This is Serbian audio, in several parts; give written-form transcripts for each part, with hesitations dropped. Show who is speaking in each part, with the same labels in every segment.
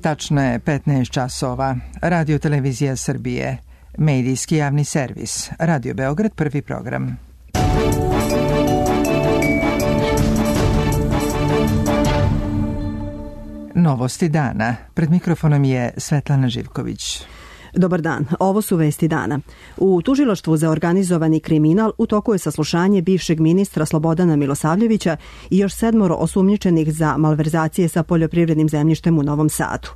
Speaker 1: Tačno je 15 časova. Radio Televizija Srbije. Medijski javni servis. Radio Beograd, prvi program. Novosti dana. Pred mikrofonom je Svetlana Živković.
Speaker 2: Dobar dan, ovo su vesti dana. U Tužilaštvu za organizovani kriminal u toku je saslušanje bivšeg ministra Slobodana Milosavljevića i još 7 osumnjičenih za malverzacije sa poljoprivrednim zemljištem u Novom Sadu.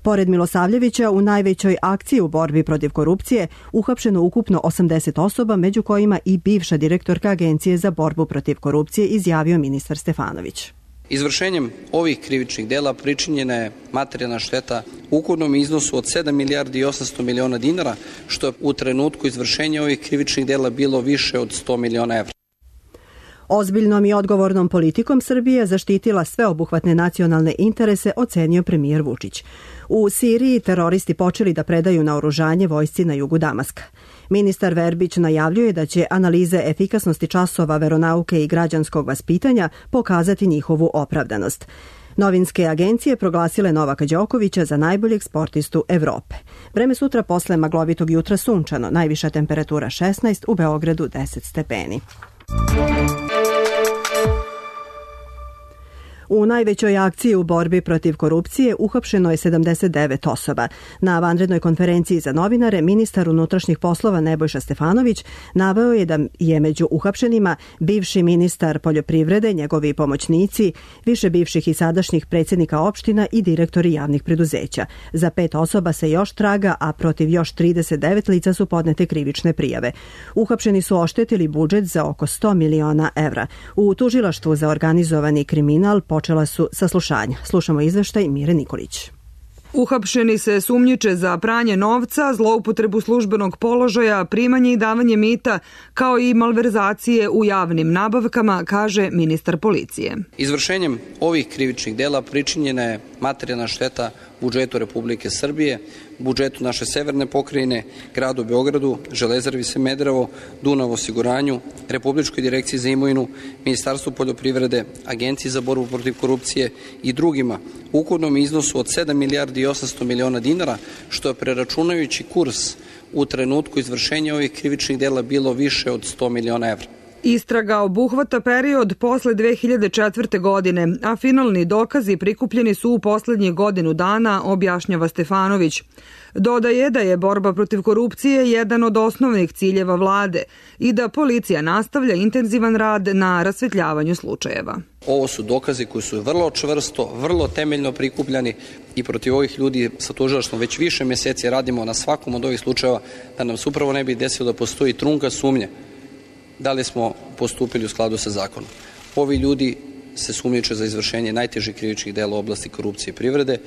Speaker 2: Pored Milosavljevića, u najvećoj akciji u borbi protiv korupcije uhapšeno ukupno 80 osoba, među kojima i bivša direktorka Agencije za borbu protiv korupcije, izjavio ministar Stefanović.
Speaker 3: Izvršenjem ovih krivičnih dela pričinjena je materijalna šteta u ukupnom iznosu od 7 milijardi i 800 miliona dinara, što je u trenutku izvršenja ovih krivičnih dela bilo više od 100 miliona evra.
Speaker 2: Ozbiljnom i odgovornom politikom Srbija zaštitila sveobuhvatne nacionalne interese, ocenio premijer Vučić. U Siriji teroristi počeli da predaju naoružanje vojsci na jugu Damaska. Ministar Verbić najavljuje da će analize efikasnosti časova veronauke i građanskog vaspitanja pokazati njihovu opravdanost. Novinske agencije proglasile Novaka Đokovića za najboljeg sportistu Evrope. Vreme sutra posle maglovitog jutra sunčano, najviša temperatura 16, u Beogradu 10 stepeni. U najvećoj akciji u borbi protiv korupcije uhapšeno je 79 osoba. Na vanrednoj konferenciji za novinare ministar unutrašnjih poslova Nebojša Stefanović naveo je da je među uhapšenima bivši ministar poljoprivrede, njegovi pomoćnici, više bivših i sadašnjih predsjednika opština i direktori javnih preduzeća. Za 5 osoba se još traga, a protiv još 39 lica su podnete krivične prijave. Uhapšeni su oštetili budžet za oko 100 miliona evra. U Tužilaštvu za organizovani kriminal počela su saslušanja. Slušamo izveštaj Mire Nikolić.
Speaker 4: Uhapšeni se sumnjiče za pranje novca, zloupotrebu službenog položaja, primanje i davanje mita, kao i malverzacije u javnim nabavkama, kaže ministar policije.
Speaker 3: Izvršenjem ovih krivičnih dela pričinjena je materijalna šteta budžetu Republike Srbije, budžetu naše severne pokrajine, gradu Beogradu, Železari Smederevo, Dunav osiguranju, Republičkoj direkciji za imovinu, Ministarstvu poljoprivrede, Agenciji za borbu protiv korupcije i drugima u ukupnom iznosu od 7 milijardi i 800 miliona dinara, što je preračunajući kurs u trenutku izvršenja ovih krivičnih dela bilo više od 100 miliona evra.
Speaker 4: Istraga obuhvata period posle 2004. godine, a finalni dokazi prikupljeni su u poslednjih godinu dana, objašnjava Stefanović. Dodaje da je borba protiv korupcije jedan od osnovnih ciljeva vlade i da policija nastavlja intenzivan rad na rasvetljavanju slučajeva.
Speaker 3: Ovo su dokazi koji su vrlo čvrsto, vrlo temeljno prikupljani i protiv ovih ljudi sa tužilaštvom već više meseci radimo na svakom od ovih slučajeva da nam se upravo ne bi desilo da postoji trunka sumnje da li smo postupili u skladu sa zakonom. Ovi ljudi se sumnjiče za izvršenje najtežih krivičnih dela u oblasti korupcije i privrede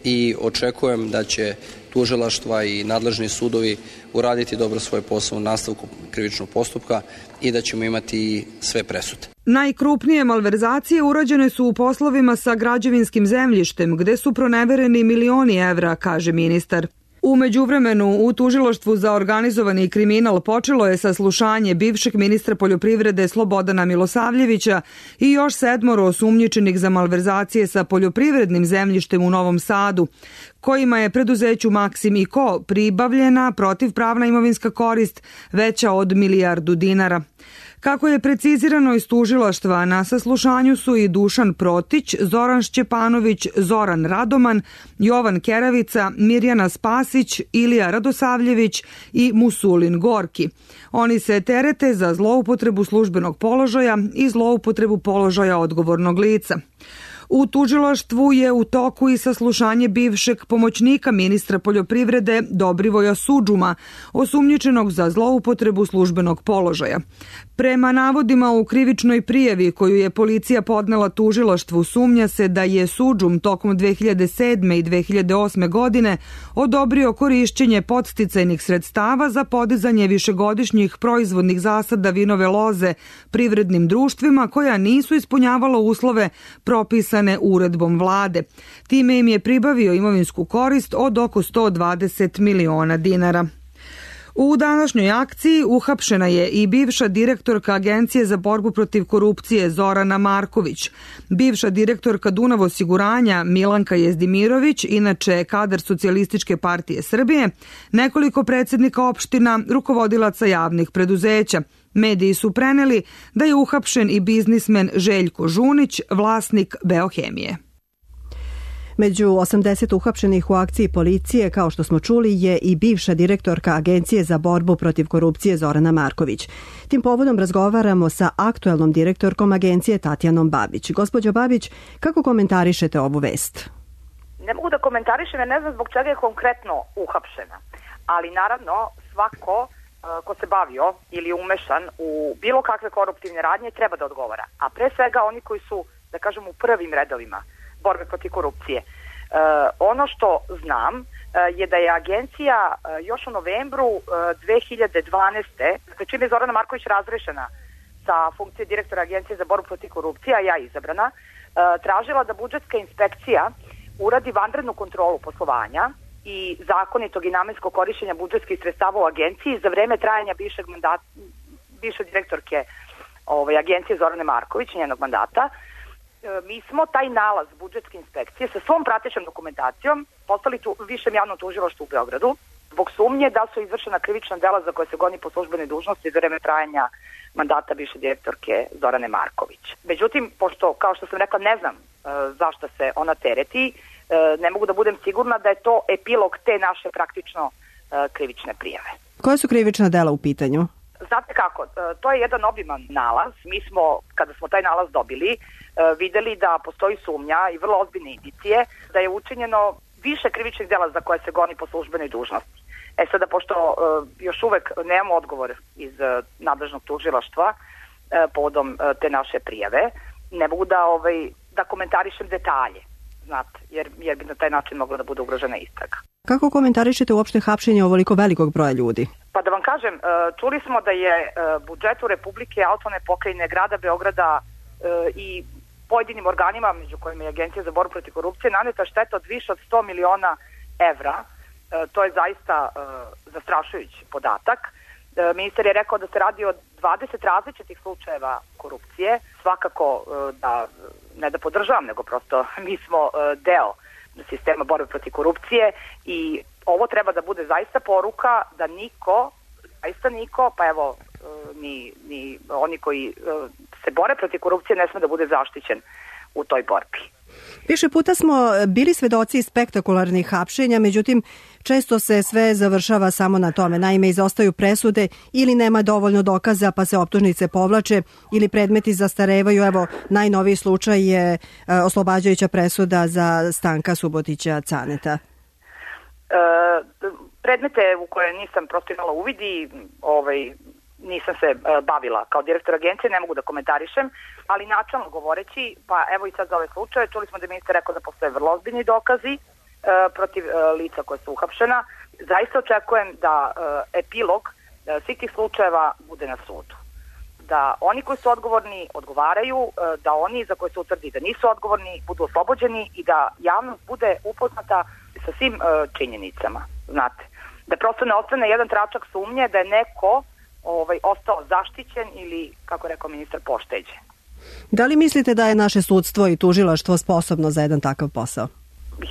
Speaker 3: i očekujem da će tužilaštva i nadležni sudovi uraditi dobro svoj posao u nastavku krivičnog postupka i da ćemo imati sve presude.
Speaker 4: Najkrupnije malverzacije urađene su u poslovima sa građevinskim zemljištem, gde su pronevereni milioni evra, kaže ministar. U međuvremenu u Tužilaštvu za organizovani kriminal počelo je saslušanje bivšeg ministra poljoprivrede Slobodana Milosavljevića i još 7 osumnjičenih za malverzacije sa poljoprivrednim zemljištem u Novom Sadu, kojima je preduzeću Maksim i Ko pribavljena protivpravna imovinska korist veća od 1 milijardu dinara. Kako je precizirano iz tužilaštva, na saslušanju su i Dušan Protić, Zoran Šćepanović, Zoran Radoman, Jovan Keravica, Mirjana Spasić, Ilija Radosavljević i Musulin Gorki. Oni se terete za zloupotrebu službenog položaja i zloupotrebu položaja odgovornog lica. U tužilaštvu je u toku i saslušanje bivšeg pomoćnika ministra poljoprivrede Dobrivoja Sudžuma, osumnjičenog za zloupotrebu službenog položaja. Prema navodima u krivičnoj prijavi koju je policija podnela tužilaštvu, sumnja se da je Sudžum tokom 2007. i 2008. godine odobrio korišćenje podsticajnih sredstava za podizanje višegodišnjih proizvodnih zasada vinove loze privrednim društvima koja nisu ispunjavala uslove propisane uredbom vlade. Time im je pribavio imovinsku korist od oko 120 miliona dinara. U današnjoj akciji uhapšena je i bivša direktorka Agencije za borbu protiv korupcije Zorana Marković, bivša direktorka Dunav osiguranja Milanka Jezdimirović, inače kadar Socijalističke partije Srbije, nekoliko predsjednika opština, rukovodilaca javnih preduzeća. Mediji su preneli da je uhapšen i biznismen Željko Žunić, vlasnik Beohemije.
Speaker 2: Među 80 uhapšenih u akciji policije, kao što smo čuli, je i bivša direktorka Agencije za borbu protiv korupcije Zorana Marković. Tim povodom razgovaramo sa aktuelnom direktorkom agencije Tatjanom Babić. Gospođo Babić, kako komentarišete ovu vest?
Speaker 5: Ne mogu da komentarišem jer ne znam zbog čega je konkretno uhapšena. Ali naravno svako ko se bavio ili umešan u bilo kakve koruptivne radnje treba da odgovara. A pre svega oni koji su, da kažem, u prvim redovima borbe protiv korupcije. Ono što znam je da je agencija još u novembru 2012. čim je Zorana Marković razrešena sa funkcije direktora Agencije za borbu protiv korupcije, a ja izabrana, tražila da budžetska inspekcija uradi vanrednu kontrolu poslovanja i zakonitog i namenskog korišćenja budžetskih sredstava u agenciji za vreme trajanja bivše direktorke agencije Zorane Marković, njenog mandata. Mi smo taj nalaz budžetske inspekcije sa svom pratećom dokumentacijom poslali višem javnom tužilaštvu u Beogradu zbog sumnje da su izvršena krivična dela za koje se goni po službenoj dužnosti za vreme trajanja mandata bivše direktorke Zorane Marković. Međutim, pošto, kao što sam rekla, ne znam zašto se ona tereti, ne mogu da budem sigurna da je to epilog te naše praktično krivične prijave.
Speaker 2: Koja su krivična dela u pitanju?
Speaker 5: Znate kako, to je jedan obiman nalaz. Mi smo, kada smo taj nalaz dobili, videli da postoji sumnja i vrlo ozbiljne indicije da je učinjeno više krivičnih dela za koje se goni po službenoj dužnosti. Sada, pošto još uvek nemamo odgovor iz nadležnog tužilaštva povodom te naše prijave, ne mogu da komentarišem detalje, znate, jer bi na taj način mogla da bude ugrožena istraga.
Speaker 2: Kako komentarišete uopšte hapšenje ovoliko velikog broja ljudi?
Speaker 5: Pa da vam kažem, čuli smo da je budžetu Republike, autonomne pokrajine, grada Beograda i pojedinim organima, među kojima je Agencija za borbu protiv korupcije, naneta šteta od više od 100 miliona evra. To je zaista zastrašujući podatak. Ministar je rekao da se radi o 20 različitih slučajeva korupcije. Svakako da, ne da podržavam, nego prosto mi smo deo sistema borbe protiv korupcije i ovo treba da bude zaista poruka da niko, pa evo ni oni koji se bore protiv korupcije ne sme da bude zaštićen u toj borbi.
Speaker 2: Više puta smo bili svedoci spektakularnih hapšenja, međutim često se sve završava samo na tome. Naime, izostaju presude ili nema dovoljno dokaza pa se optužnice povlače ili predmeti zastarevaju. Evo, najnoviji slučaj je oslobađajuća presuda za Stanka Subotića Caneta.
Speaker 5: Predmete u koje nisam prosto imala uvidi, nisam se bavila kao direktor agencije, ne mogu da komentarišem, ali načalno govoreći, pa evo i sad za ove slučaje, čuli smo da je ministar rekao da postoje vrlo ozbiljni dokazi protiv lica koje su uhapšena. Zaista očekujem da epilog svih tih slučajeva bude na sudu. Da oni koji su odgovorni odgovaraju, da oni za koje se utvrdi da nisu odgovorni budu oslobođeni i da javnost bude upoznata sa svim činjenicama, znate. Da prosto ne ostane jedan tračak sumnje da je neko ostao zaštićen ili, kako rekao ministar, pošteđen.
Speaker 2: Da li mislite da je naše sudstvo i tužilaštvo sposobno za jedan takav posao?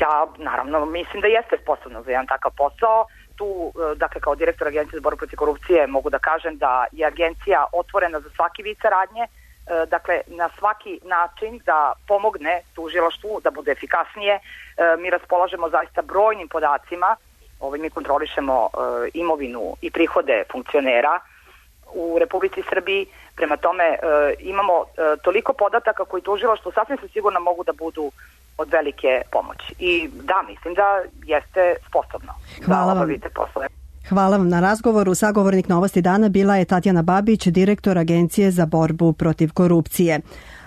Speaker 5: Ja, naravno, mislim da jeste sposobno za jedan takav posao. Tu, dakle, kao direktor Agencije za borbu protiv korupcije mogu da kažem da je agencija otvorena za svaki vid saradnje, dakle, na svaki način da pomogne tužilaštvu da bude efikasnije. Mi raspolažemo zaista brojnim podacima, mi kontrolišemo imovinu i prihode funkcionera u Republici Srbiji, prema tome imamo toliko podataka koji tužilaštvo sasvim se sigurno mogu da budu od velike pomoći. I da, mislim da jeste sposobno da obavite poslove.
Speaker 2: Hvala vam na razgovoru. Sagovornik Novosti dana bila je Tatjana Babić, direktor Agencije za borbu protiv korupcije.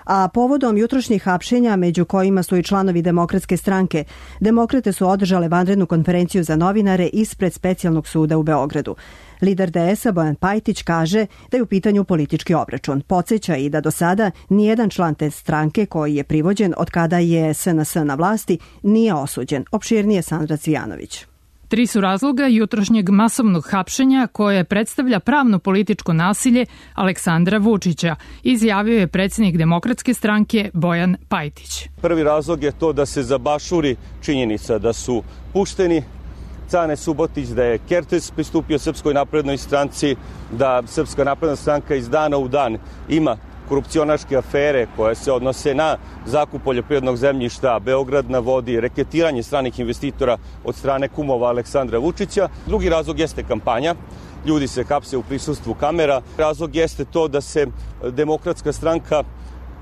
Speaker 2: A povodom jutrošnjih hapšenja, među kojima su i članovi Demokratske stranke, Demokrate su održale vanrednu konferenciju za novinare ispred Specijalnog suda u Beogradu. Lider DS-a Bojan Pajtić kaže da je u pitanju politički obračun. Podseća i da do sada nijedan član te stranke koji je privođen od kada je SNS na vlasti nije osuđen. Opširnije Sandra Cvijanović.
Speaker 6: 3 su razloga jutrošnjeg masovnog hapšenja koje predstavlja pravno političko nasilje Aleksandra Vučića, izjavio je predsjednik Demokratske stranke Bojan Pajtić.
Speaker 7: Prvi razlog je to da se zabašuri činjenica da su pušteni Cane Subotić, da je Kertes pristupio Srpskoj naprednoj stranci, da Srpska napredna stranka iz dana u dan ima korupcionaške afere koje se odnose na zakup poljoprivrednog zemljišta, Beograd na vodi, reketiranje stranih investitora od strane kumova Aleksandra Vučića. Drugi razlog jeste kampanja. Ljudi se hapse u prisustvu kamera. Razlog jeste to da se Demokratska stranka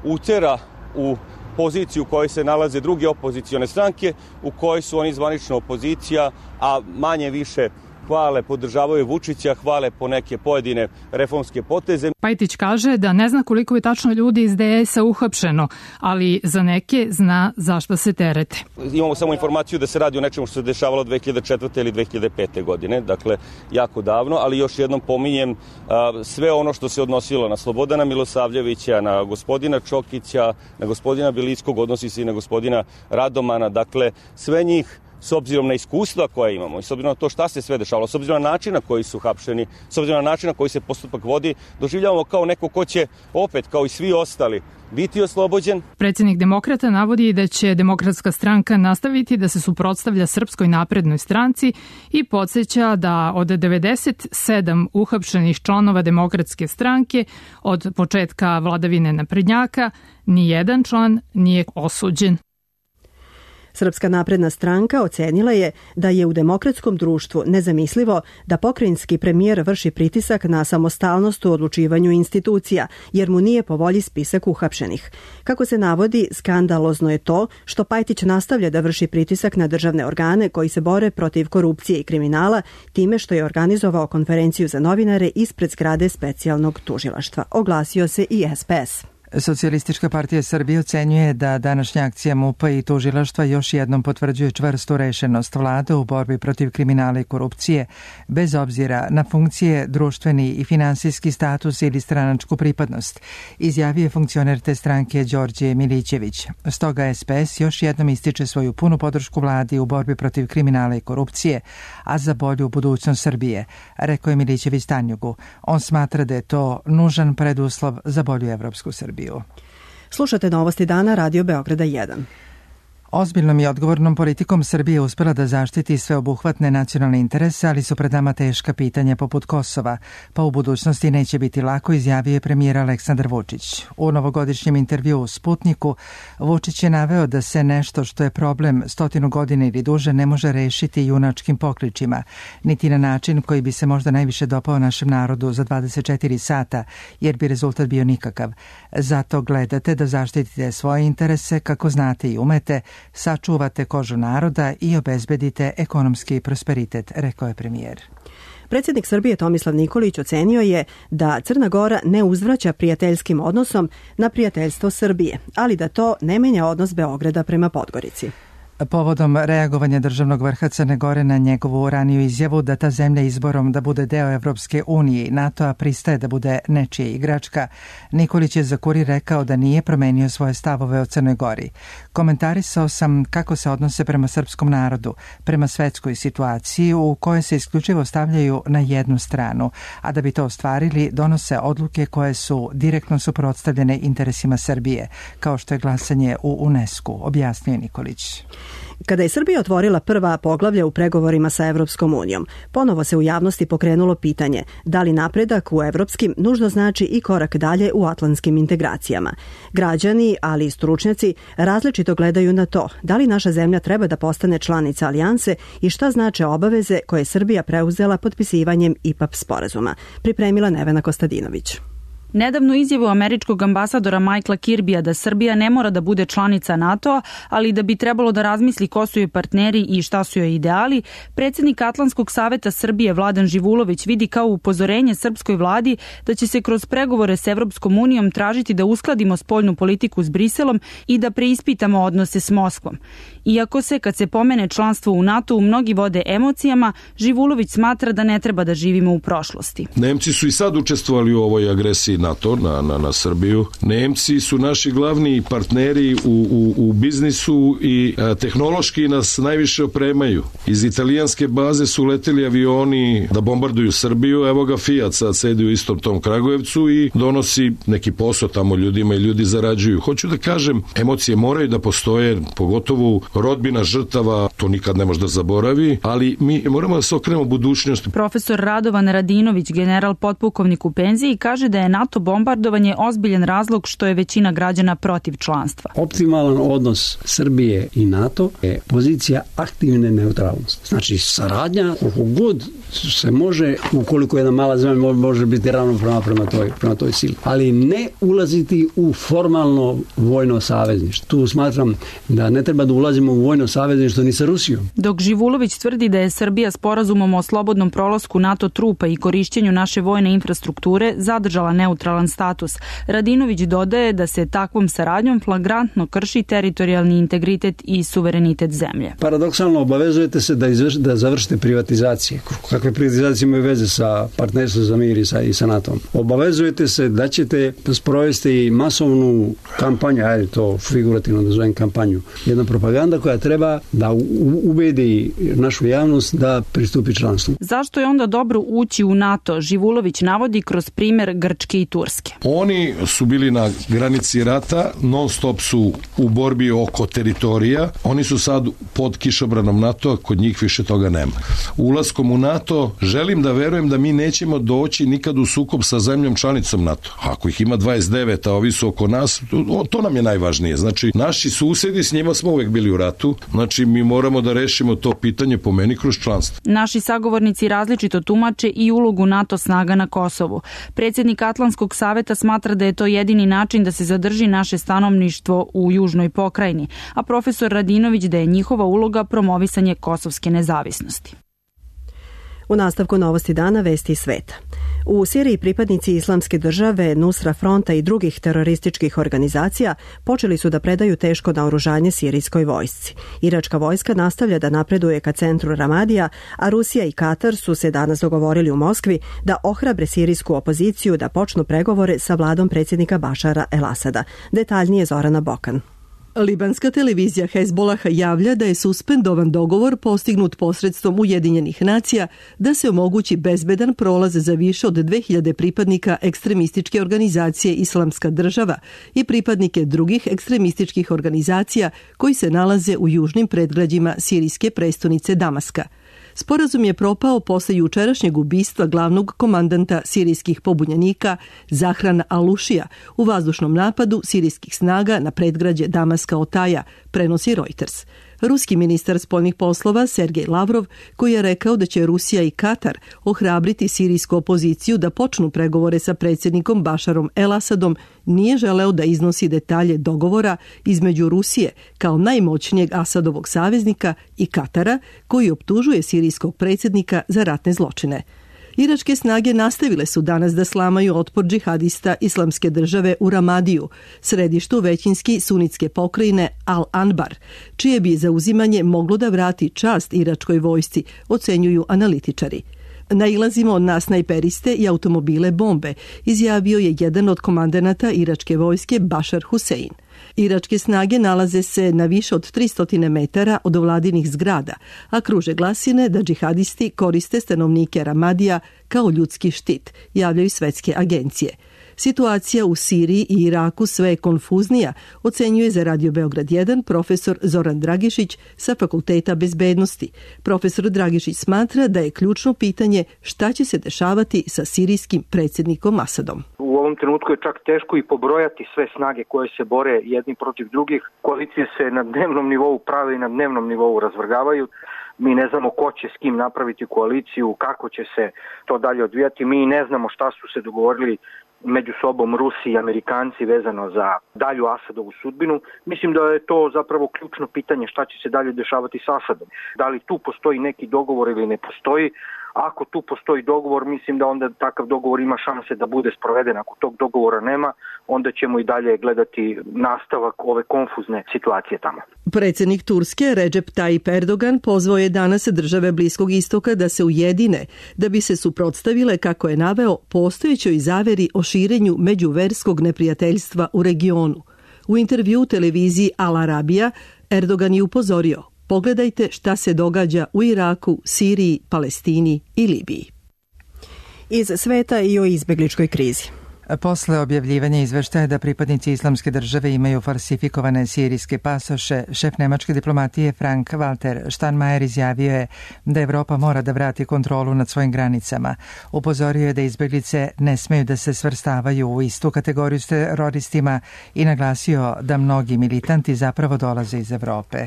Speaker 7: utera u poziciju u kojoj se nalaze druge opozicione stranke, u kojoj su oni zvanična opozicija, a manje više hvale, podržavaju Vučića, hvale po neke pojedine reformske poteze.
Speaker 6: Pajtić kaže da ne zna koliko je tačno ljudi iz DS-a uhapšeno, ali za neke zna zašto se terete.
Speaker 7: Imamo samo informaciju da se radi o nečemu što se dešavalo 2004. ili 2005. godine, dakle jako davno, ali još jednom pominjem sve ono što se odnosilo na Slobodana Milosavljevića, na gospodina Čokića, na gospodina Belickog, odnosi se i na gospodina Radomana, dakle sve njih s obzirom na iskustva koje imamo i s obzirom na to šta se sve dešavalo, s obzirom na način na koji su hapšeni, s obzirom na način na koji se postupak vodi, doživljavamo kao neko ko će opet, kao i svi ostali, biti oslobođen.
Speaker 6: Predsjednik Demokrata navodi da će Demokratska stranka nastaviti da se suprotstavlja Srpskoj naprednoj stranci i podsjeća da od 97 uhapšenih članova Demokratske stranke od početka vladavine naprednjaka nijedan član nije osuđen.
Speaker 2: Srpska napredna stranka ocenila je da je u demokratskom društvu nezamislivo da pokrajinski premijer vrši pritisak na samostalnost u odlučivanju institucija, jer mu nije po volji spisak uhapšenih. Kako se navodi, skandalozno je to što Pajtić nastavlja da vrši pritisak na državne organe koji se bore protiv korupcije i kriminala time što je organizovao konferenciju za novinare ispred zgrade specijalnog tužilaštva. Oglasio se i SPS.
Speaker 1: Socijalistička partija Srbije ocenjuje da današnja akcija MUP-a i tužilaštva još jednom potvrđuje čvrstu rešenost vlade u borbi protiv kriminala i korupcije, bez obzira na funkcije, društveni i finansijski status ili stranačku pripadnost, izjavio je funkcioner te stranke Đorđe Milićević. Stoga SPS još jednom ističe svoju punu podršku vladi u borbi protiv kriminala i korupcije, a za bolju budućnost Srbije, rekao je Milićević Tanjugu. On smatra da je to nužan preduslov za bolju evropsku Srbiju.
Speaker 2: Slušate Novosti dana Radio Beograda 1.
Speaker 1: Ozbiljnom i odgovornom politikom Srbije uspela da zaštiti sveobuhvatne nacionalne interese, ali su pred nama teška pitanja poput Kosova, pa u budućnosti neće biti lako, izjavio je premijer Aleksandar Vučić. U novogodišnjem intervjuu u Sputniku Vučić je naveo da se nešto što je problem 100 godina ili duže ne može rešiti junačkim pokličima, niti na način koji bi se možda najviše dopao našem narodu za 24 sata, jer bi rezultat bio nikakav. Zato gledate da zaštitite svoje interese kako znate i umete, sačuvate kožu naroda i obezbedite ekonomski prosperitet, rekao je premijer.
Speaker 2: Predsjednik Srbije Tomislav Nikolić ocenio je da Crna Gora ne uzvraća prijateljskim odnosom na prijateljstvo Srbije, ali da to ne menja odnos Beograda prema Podgorici.
Speaker 1: Povodom reagovanja državnog vrha Crne Gore na njegovu raniju izjavu da ta zemlja izborom da bude deo Evropske unije i NATO-a pristaje da bude nečija igračka, Nikolić je za Kurir rekao da nije promenio svoje stavove o Crnoj Gori. Komentarisao sam kako se odnose prema srpskom narodu, prema svetskoj situaciji u kojoj se isključivo stavljaju na jednu stranu, a da bi to ostvarili donose odluke koje su direktno suprotstavljene interesima Srbije, kao što je glasanje u UNESCO, objasnio Nikolić.
Speaker 2: Kada je Srbija otvorila prva poglavlja u pregovorima sa Evropskom unijom, ponovo se u javnosti pokrenulo pitanje da li napredak u evropskim nužno znači i korak dalje u atlantskim integracijama. Građani, ali i stručnjaci, različito gledaju na to da li naša zemlja treba da postane članica alijanse i šta znače obaveze koje je Srbija preuzela potpisivanjem IPAP sporazuma. Pripremila Nevena Kostadinović.
Speaker 8: Nedavnu izjavu američkog ambasadora Michaela Kirbija da Srbija ne mora da bude članica NATO-a, ali da bi trebalo da razmisli ko su joj partneri i šta su joj ideali, predsjednik Atlantskog saveta Srbije Vladan Živulović vidi kao upozorenje srpskoj vladi da će se kroz pregovore s Evropskom unijom tražiti da uskladimo spoljnu politiku s Briselom i da preispitamo odnose s Moskvom. Iako se, kad se pomene članstvo u NATO-u, mnogi vode emocijama, Živulović smatra da ne treba da živimo u prošlosti.
Speaker 9: Nemci su i sad učestvovali u ovoj agresiji NATO na Srbiju. Nemci su naši glavni partneri u biznisu i tehnološki nas najviše opremaju. Iz italijanske baze su leteli avioni da bombarduju Srbiju, evo ga Fiat sad sedi u istom tom Kragujevcu i donosi neki posao tamo ljudima i ljudi zarađuju. Hoću da kažem, emocije moraju da postoje, pogotovo rodbina žrtava, to nikad ne može da zaboravi, ali mi moramo da se okrenemo budućnosti.
Speaker 8: Profesor Radovan Radinović, general potpukovnik u penziji, kaže da je NATO bombardovanje ozbiljan razlog što je većina građana protiv članstva.
Speaker 10: Optimalan odnos Srbije i NATO je pozicija aktivne neutralnosti. Znači, saradnja koliko god se može, ukoliko jedna mala zemlja može biti ravnopravna prema toj sili, ali ne ulaziti u formalno vojno savezništvo. Tu smatram da ne treba da ulazimo u vojno savezništvo ni sa Rusijom.
Speaker 8: Dok Živulović tvrdi da je Srbija sporazumom o slobodnom prolasku NATO trupa i korišćenju naše vojne infrastrukture zadržala neutralan status, Radinović dodaje da se takvom saradnjom flagrantno krši teritorijalni integritet i suverenitet zemlje.
Speaker 10: Paradoksalno obavezujete se da završite privatizacije. Kakve privatizacije imaju veze sa partnerstvom za mir i sa NATO-om? Obavezujete se da ćete sprovesti masovnu kampanju, ajde to figurativno da zovem kampanju, jedna propaganda koja treba da ubedi našu javnost da pristupi članstvu.
Speaker 8: Zašto je onda dobro ući u NATO? Živulović navodi kroz primer Grčke i Turske.
Speaker 9: Oni su bili na granici rata, non stop su u borbi oko teritorija, oni su sad pod kišobranom NATO-a, kod njih više toga nema. Ulaskom u NATO želim da verujem da mi nećemo doći nikad u sukob sa zemljom članicom NATO. Ako ih ima 29, a ovi su oko nas, to nam je najvažnije. Znači, naši susedi, s njima smo uvek bili u ratu, znači mi moramo da rešimo to pitanje po meni kroz članstvo.
Speaker 8: Naši sagovornici različito tumače i ulogu NATO snaga na Kosovu. Predsjednik Atlantskog saveta smatra da je to jedini način da se zadrži naše stanovništvo u južnoj pokrajini, a profesor Radinović da je njihova uloga promovisanje kosovske nezavisnosti.
Speaker 2: U nastavku novosti dana vesti sveta. U Siriji pripadnici Islamske države, Nusra fronta i drugih terorističkih organizacija počeli su da predaju teško naoružanje sirijskoj vojsci. Iračka vojska nastavlja da napreduje ka centru Ramadija, a Rusija i Katar su se danas dogovorili u Moskvi da ohrabre sirijsku opoziciju da počnu pregovore sa vladom predsjednika Bašara el-Asada. Detaljnije Zorana Bokan.
Speaker 11: Libanska televizija Hezbollah javlja da je suspendovan dogovor postignut posredstvom Ujedinjenih nacija da se omogući bezbedan prolaz za više od 2000 pripadnika ekstremističke organizacije Islamska država i pripadnike drugih ekstremističkih organizacija koji se nalaze u južnim predgrađima sirijske prestonice Damaska. Sporazum je propao posle jučerašnjeg ubistva glavnog komandanta sirijskih pobunjenika Zahrana Alušija u vazdušnom napadu sirijskih snaga na predgrađe Damaska Otaja, prenosi Reuters. Ruski ministar spoljnih poslova Sergej Lavrov, koji je rekao da će Rusija i Katar ohrabriti sirijsku opoziciju da počnu pregovore sa predsjednikom Bašarom el-Asadom, nije želeo da iznosi detalje dogovora između Rusije kao najmoćnijeg Asadovog saveznika i Katara, koji optužuje sirijskog predsjednika za ratne zločine. Iračke snage nastavile su danas da slamaju otpor džihadista Islamske države u Ramadiju, središtu većinski sunitske pokrajine Al-Anbar, čije bi zauzimanje moglo da vrati čast iračkoj vojsci, ocenjuju analitičari. Nailazimo na snajperiste i automobile bombe, izjavio je jedan od komandanata iračke vojske Bašar Husein. Iračke snage nalaze se na više od 300 metara od vladinih zgrada, a kruže glasine da džihadisti koriste stanovnike Ramadija kao ljudski štit, javljaju svetske agencije. Situacija u Siriji i Iraku sve je konfuznija, ocenjuje za Radio Beograd 1 profesor Zoran Dragišić sa Fakulteta bezbednosti. Profesor Dragišić smatra da je ključno pitanje šta će se dešavati sa sirijskim predsjednikom Asadom.
Speaker 12: U ovom trenutku je čak teško i pobrojati sve snage koje se bore jedni protiv drugih. Koalicije se na dnevnom nivou prave i na dnevnom nivou razvrgavaju. Mi ne znamo ko će s kim napraviti koaliciju, kako će se to dalje odvijati. Mi ne znamo šta su se dogovorili među sobom Rusi i Amerikanci vezano za dalju Asadovu sudbinu. Mislim da je to zapravo ključno pitanje šta će se dalje dešavati s Asadom. Da li tu postoji neki dogovor ili ne postoji, Ako tu postoji dogovor, mislim da onda takav dogovor ima šanse da bude sproveden. Ako tog dogovora nema, onda ćemo i dalje gledati nastavak ove konfuzne situacije tamo.
Speaker 11: Predsjednik Turske Recep Tayyip Erdogan pozvao je danas države Bliskog istoka da se ujedine, da bi se suprotstavile, kako je naveo, postojećoj zaveri o širenju međuverskog neprijateljstva u regionu. U intervju televiziji Al Arabija Erdogan je upozorio: pogledajte šta se događa u Iraku, Siriji, Palestini i Libiji.
Speaker 2: Iz sveta i o izbegličkoj krizi.
Speaker 1: Posle objavljivanja izveštaja da pripadnici Islamske države imaju falsifikovane sirijske pasoše, šef nemačke diplomatije Frank Walter Steinmeier izjavio je da Evropa mora da vrati kontrolu nad svojim granicama. Upozorio je da izbeglice ne smeju da se svrstavaju u istu kategoriju s teroristima i naglasio da mnogi militanti zapravo dolaze iz Evrope.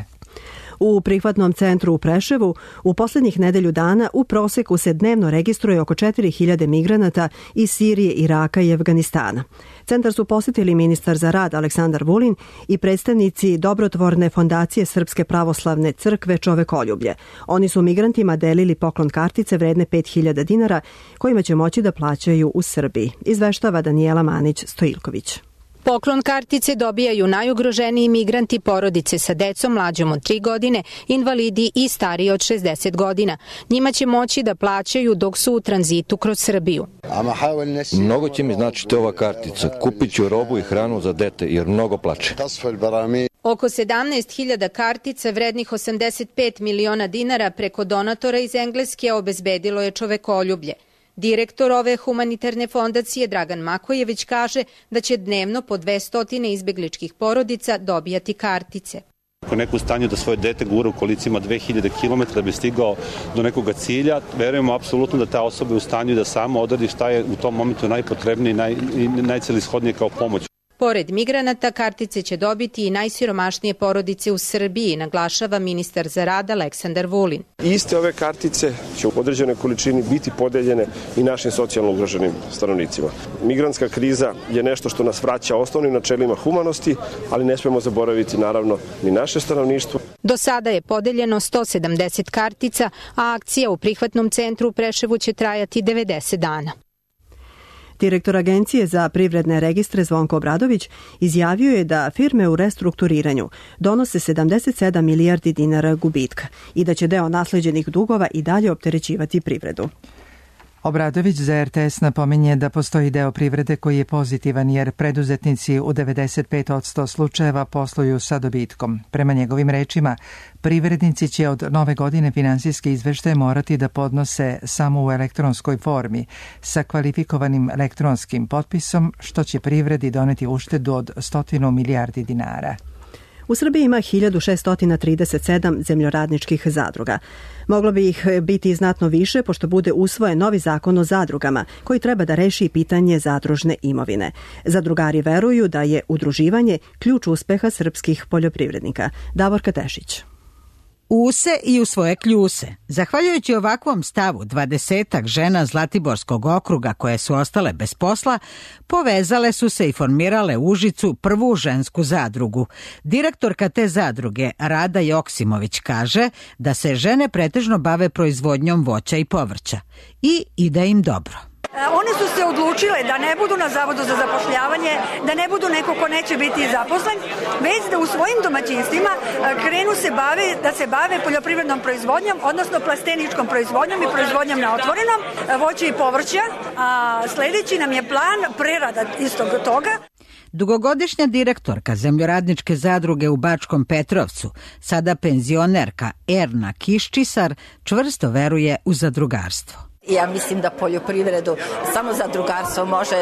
Speaker 2: U prihvatnom centru u Preševu u posljednjih nedelju dana u proseku se dnevno registruje oko 4000 migranata iz Sirije, Iraka i Afganistana. Centar su posjetili ministar za rad Aleksandar Vulin i predstavnici dobrotvorne fondacije Srpske pravoslavne crkve Čovekoljublje. Oni su migrantima delili poklon kartice vredne 5000 dinara kojima će moći da plaćaju u Srbiji, izveštava Danijela Manić-Stojilković.
Speaker 13: Poklon kartice dobijaju najugroženiji migranti, porodice sa decom mlađom od 3 godine, invalidi i stariji od 60 godina. Njima će moći da plaćaju dok su u tranzitu kroz Srbiju.
Speaker 14: Mnogo će mi značiti ova kartica. Kupit ću robu i hranu za dete jer mnogo plače.
Speaker 13: Oko 17.000 kartica vrednih 85 miliona dinara preko donatora iz Engleske obezbedilo je Čovekoljublje. Direktor ove humanitarne fondacije Dragan Makojević kaže da će dnevno po 200 izbegličkih porodica dobijati kartice.
Speaker 15: Ako neko u stanju da svoje dete gura u kolicima 2000 km da bi stigao do nekog cilja, verujemo apsolutno da ta osoba je u stanju da sama odradi šta je u tom momentu najpotrebnije i najcelishodnije kao pomoć.
Speaker 13: Pored migranata, kartice će dobiti i najsiromašnije porodice u Srbiji, naglašava ministar za rad Aleksandar Vulin.
Speaker 16: Iste ove kartice će u određenoj količini biti podeljene i našim socijalno ugroženim stanovnicima. Migrantska kriza je nešto što nas vraća osnovnim načelima humanosti, ali ne smemo zaboraviti naravno ni naše stanovništvo.
Speaker 13: Do sada je podeljeno 170 kartica, a akcija u prihvatnom centru u Preševu će trajati 90 dana.
Speaker 2: Direktor Agencije za privredne registre Zvonko Obradović izjavio je da firme u restrukturiranju donose 77 milijardi dinara gubitka i da će deo nasleđenih dugova i dalje opterećivati privredu.
Speaker 1: Obradović za RTS napominje da postoji deo privrede koji je pozitivan jer preduzetnici u 95% slučajeva posluju sa dobitkom. Prema njegovim rečima, privrednici će od nove godine finansijske izveštaje morati da podnose samo u elektronskoj formi sa kvalifikovanim elektronskim potpisom, što će privredi doneti uštedu od 100 milijardi dinara.
Speaker 2: U Srbiji ima 1637 zemljoradničkih zadruga. Moglo bi ih biti znatno više pošto bude usvojen novi zakon o zadrugama koji treba da reši pitanje zadružne imovine. Zadrugari veruju da je udruživanje ključ uspeha srpskih poljoprivrednika. Davorka Tešić.
Speaker 17: U se i u svoje kljuse. Zahvaljujući ovakvom stavu, 20-ak žena Zlatiborskog okruga koje su ostale bez posla, povezale su se i formirale u Užicu prvu žensku zadrugu. Direktorka te zadruge, Rada Joksimović, kaže da se žene pretežno bave proizvodnjom voća i povrća i ide im dobro.
Speaker 18: One su se odlučile da ne budu na Zavodu za zapošljavanje, da ne budu neko ko neće biti zaposlen, već da u svojim domaćinstvima krenu da se bave poljoprivrednom proizvodnjom, odnosno plasteničkom proizvodnjom i proizvodnjom na otvorenom, voća i povrća, a sledeći nam je plan prerada istog toga.
Speaker 17: Dugogodišnja direktorka zemljoradničke zadruge u Bačkom Petrovcu, sada penzionerka Erna Kiščisar, čvrsto veruje u zadrugarstvo.
Speaker 19: Ja mislim da poljoprivredu samo zadrugarstvo može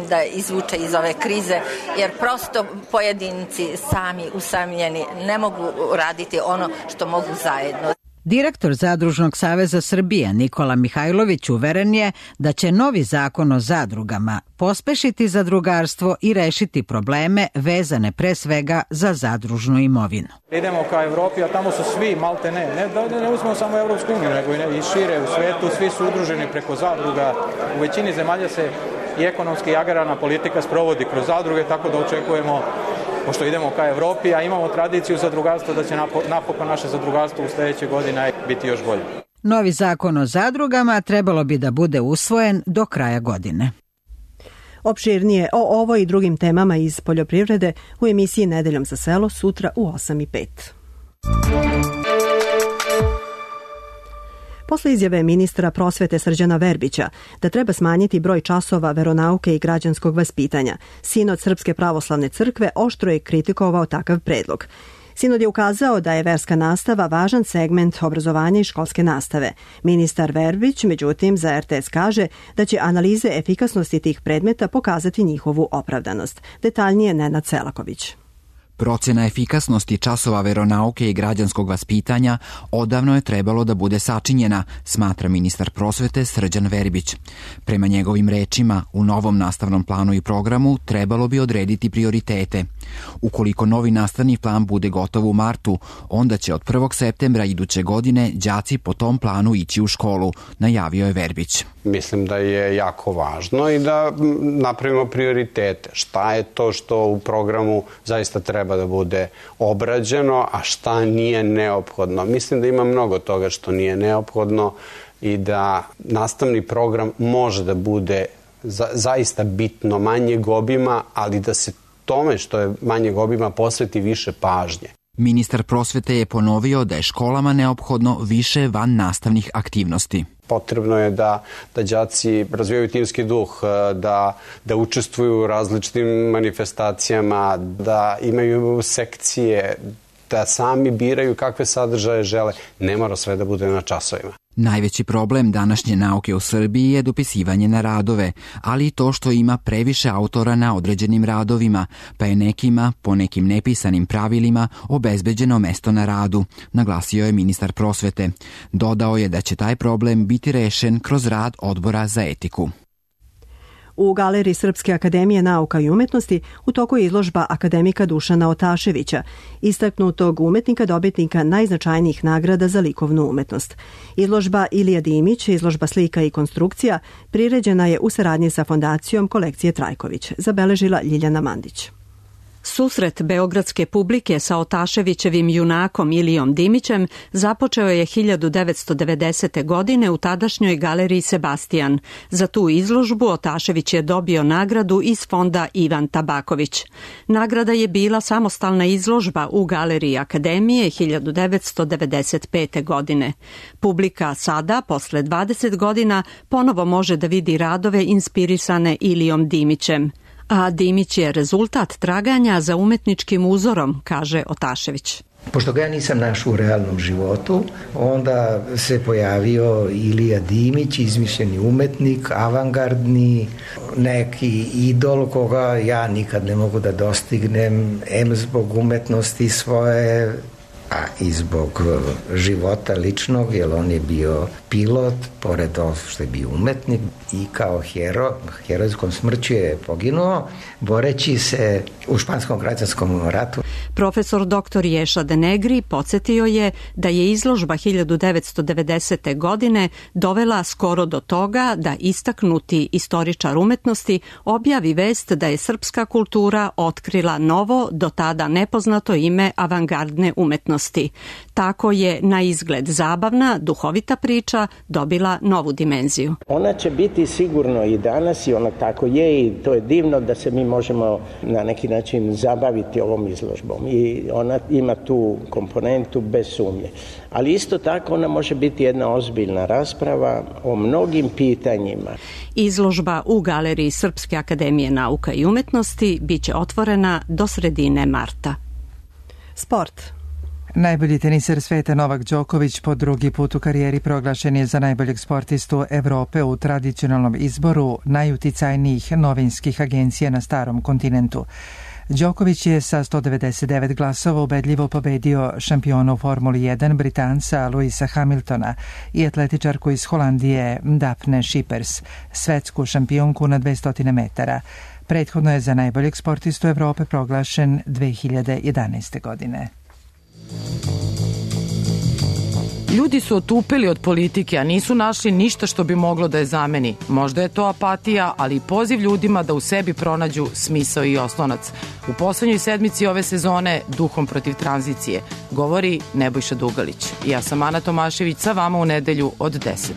Speaker 19: da izvuče iz ove krize, jer prosto pojedinci sami usamljeni ne mogu raditi ono što mogu zajedno.
Speaker 17: Direktor Zadružnog saveza Srbije Nikola Mihajlović uveren je da će novi zakon o zadrugama pospešiti zadrugarstvo i rešiti probleme vezane pre svega za zadružnu imovinu.
Speaker 20: Idemo ka Evropi, a tamo su svi malte ne uzmemo samo Evropsku uniju, nego i šire u svetu, svi su udruženi preko zadruga. U većini zemalja se i ekonomski i agrarna politika sprovodi kroz zadruge, tako da očekujemo, pošto idemo ka Evropi, a imamo tradiciju zadrugarstva, da će napokon naše zadrugarstvo u sledećoj godini biti još bolje.
Speaker 17: Novi zakon o zadrugama trebalo bi da bude usvojen do kraja godine.
Speaker 2: Opširnije o ovoj i drugim temama iz poljoprivrede u emisiji Nedeljom za selo sutra u 8:05. Posle izjave ministra prosvete Srđana Verbića da treba smanjiti broj časova veronauke i građanskog vaspitanja, Sinod Srpske pravoslavne crkve oštro je kritikovao takav predlog. Sinod je ukazao da je verska nastava važan segment obrazovanja i školske nastave. Ministar Verbić, međutim, za RTS kaže da će analize efikasnosti tih predmeta pokazati njihovu opravdanost. Detaljnije Nenad Selaković.
Speaker 21: Procena efikasnosti časova veronauke i građanskog vaspitanja odavno je trebalo da bude sačinjena, smatra ministar prosvete Srđan Verbić. Prema njegovim rečima, u novom nastavnom planu i programu trebalo bi odrediti prioritete. Ukoliko novi nastavni plan bude gotov u martu, onda će od 1. septembra iduće godine đaci po tom planu ići u školu, najavio je Verbić.
Speaker 22: Mislim da je jako važno i da napravimo prioritete. Šta je to što u programu zaista treba da bude obrađeno, a šta nije neophodno. Mislim da ima mnogo toga što nije neophodno i da nastavni program može da bude zaista bitno manjeg obima, ali da se tome što je manjeg obima posveti više pažnje.
Speaker 21: Ministar prosvete je ponovio da je školama neophodno više van nastavnih aktivnosti.
Speaker 22: Potrebno je da đaci razvijaju timski duh, da učestvuju u različitim manifestacijama, da imaju sekcije, da sami biraju kakve sadržaje žele. Ne mora sve da bude na časovima.
Speaker 21: Najveći problem današnje nauke u Srbiji je dopisivanje na radove, ali i to što ima previše autora na određenim radovima, pa je nekima, po nekim nepisanim pravilima, obezbeđeno mesto na radu, naglasio je ministar prosvete. Dodao je da će taj problem biti rešen kroz rad odbora za etiku.
Speaker 2: U Galeriji Srpske akademije nauka i umetnosti u toku je izložba akademika Dušana Otaševića, istaknutog umetnika dobitnika najznačajnijih nagrada za likovnu umetnost. Izložba Ilija Dimić, izložba slika i konstrukcija, priređena je u saradnji sa fondacijom kolekcije Trajković, zabeležila Ljiljana Mandić.
Speaker 23: Susret beogradske publike sa Otaševićevim junakom Ilijom Dimićem započeo je 1990. godine u tadašnjoj galeriji Sebastijan. Za tu izložbu Otašević je dobio nagradu iz fonda Ivan Tabaković. Nagrada je bila samostalna izložba u galeriji Akademije 1995. godine. Publika sada, posle 20 godina, ponovo može da vidi radove inspirisane Ilijom Dimićem. A Dimić je rezultat traganja za umetničkim uzorom, kaže Otašević.
Speaker 24: Pošto ga ja nisam našao u realnom životu, onda se pojavio Ilija Dimić, izmišljeni umetnik, avangardni, neki idol koga ja nikad ne mogu da dostignem, em zbog umetnosti svoje, a i zbog života ličnog, jer on je bio pilot, pored toho što je bio umetnik, i kao herojskom smrću je poginuo, boreći se u španskom građanskom ratu.
Speaker 23: Profesor dr. Ješa Denegri podsjetio je da je izložba 1990. godine dovela skoro do toga da istaknuti istoričar umetnosti objavi vest da je srpska kultura otkrila novo, do tada nepoznato ime avangardne umetnosti. Tako je na izgled zabavna, duhovita priča dobila novu dimenziju.
Speaker 25: Ona će biti sigurno i danas i ona tako je i to je divno da se mi možemo na neki način zabaviti ovom izložbom i ona ima tu komponentu bez sumnje. Ali isto tako ona može biti jedna ozbiljna rasprava o mnogim pitanjima.
Speaker 23: Izložba u Galeriji Srpske akademije nauka i umetnosti biće otvorena do sredine marta.
Speaker 2: Sport.
Speaker 1: Najbolji teniser sveta Novak Đoković po drugi put u karijeri proglašen je za najboljeg sportistu Evrope u tradicionalnom izboru najuticajnijih novinskih agencija na starom kontinentu. Đoković je sa 199 glasova ubedljivo pobedio šampiona u Formuli 1 Britanca Luisa Hamiltona i atletičarku iz Holandije Daphne Schippers, svetsku šampionku na 200 metara. Prethodno je za najboljeg sportistu Evrope proglašen 2011. godine.
Speaker 3: Ljudi su otupili od politike, a nisu našli ništa što bi moglo da je zameni. Možda je to apatija, ali i poziv ljudima da u sebi pronađu smisao i oslonac. U poslednjoj sedmici ove sezone Duhom protiv tranzicije govori Nebojša Dugalić. Ja sam Ana Tomašević, sa vama u nedelju od 10.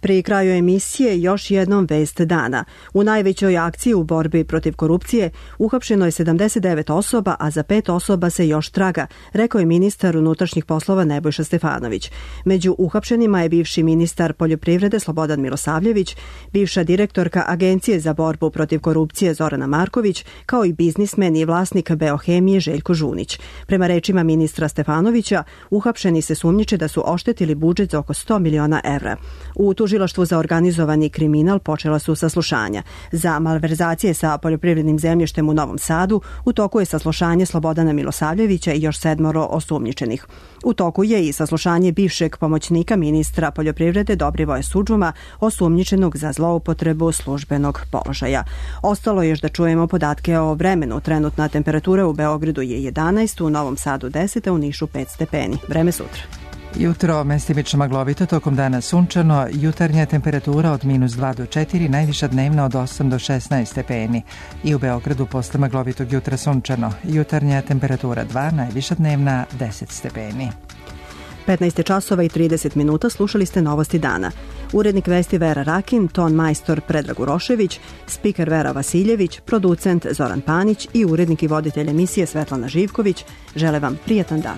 Speaker 2: Pri kraju emisije još jednom vest dana. U najvećoj akciji u borbi protiv korupcije uhapšeno je 79 osoba, a za 5 osoba se još traga, rekao je ministar unutrašnjih poslova Nebojša Stefanović. Među uhapšenima je bivši ministar poljoprivrede Slobodan Milosavljević, bivša direktorka Agencije za borbu protiv korupcije Zorana Marković, kao i biznismen i vlasnik Beohemije Željko Žunić. Prema rečima ministra Stefanovića, uhapšeni se sumnjiče da su oštetili budžet za oko 100 miliona evra. U Tužilaštvu za organizovani kriminal počela su saslušanja. Za malverzacije sa poljoprivrednim zemljištem u Novom Sadu u toku je saslušanje Slobodana Milosavljevića i još 7 osumnjičenih. U toku je i saslušanje bivšeg pomoćnika ministra poljoprivrede Dobrivoja Sudžuma, osumnjičenog za zloupotrebu službenog položaja. Ostalo je još da čujemo podatke o vremenu. Trenutna temperatura u Beogradu je 11, u Novom Sadu 10, a u Nišu 5 stepeni. Vreme sutra.
Speaker 1: Jutro mestimično maglovito, tokom dana sunčano, jutarnja temperatura od -2 do 4, najviša dnevna od 8 do 16 stepeni. I u Beogradu posle maglovitog jutra sunčano, jutarnja temperatura 2, najviša dnevna 10 stepeni.
Speaker 2: 15 časova i 30 minuta, slušali ste novosti dana. Urednik vesti Vera Rakin, ton majstor Predrag Urošević, spiker Vera Vasiljević, producent Zoran Panić i urednik i voditelj emisije Svetlana Živković žele vam prijatan dan.